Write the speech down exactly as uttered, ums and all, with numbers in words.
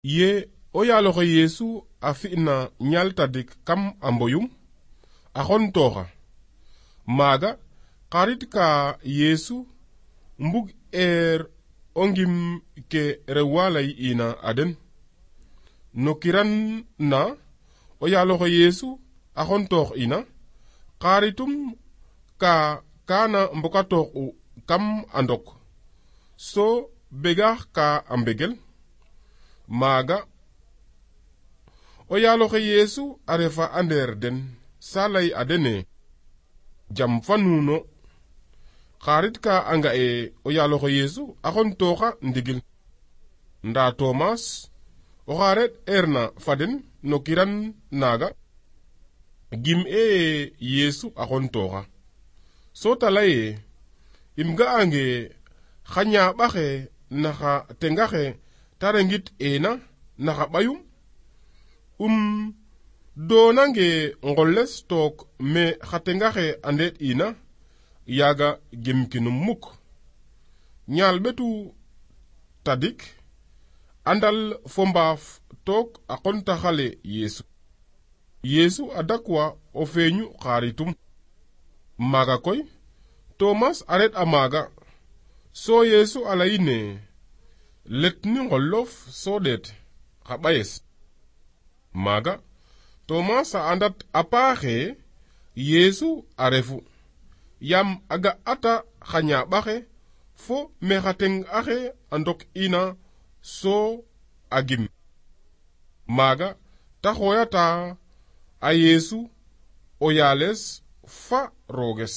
Ye o yaaloxe Yeesu a fi'na ñaal tadik kam a mboyum a xontooxa maaga xarit ka Yeesu mbug eer o ngim ke rew wa lay'ina a den no kiran na o yaaloxe Yeesu a xontoox ina xaritum ka kaana mbokatoox'u kam a ndok so begaax ka a mbegel maaga o yaaloxe Yeesu a refa a ndeer den sa lay a dene jam fa nuuno xarit ka a nga'e o yaaloxe Yeesu a xontooxa ndigil ndaa Tomas oxa ret eerna fa den no kiran naaga gim e Yeesu a xontooxa so ta laye im ga'ange xa ñaaɓaxe naxa tengaxe ta rengit ena naxa ɓayum um doonange ngoles took me xa tengaxe a ndeet ina yaaga gemkinum muk ñaal ɓetu tadik andal fo mbaaf took a qontaxale Yeesu Yeesu a dakwa o feeñu xaritum maaga koy Tomas a ret a maaga so Yeesu a layine let ni ngolof so ɗeet xa ɓayes maaga Tomas a andat a paaxe Yeesu a refu yam a ga'ata xa ñaaɓaxe fo me xa teng axe a ndok ina so a gim maaga ta xooyata a Yeesu o yaales fa rooges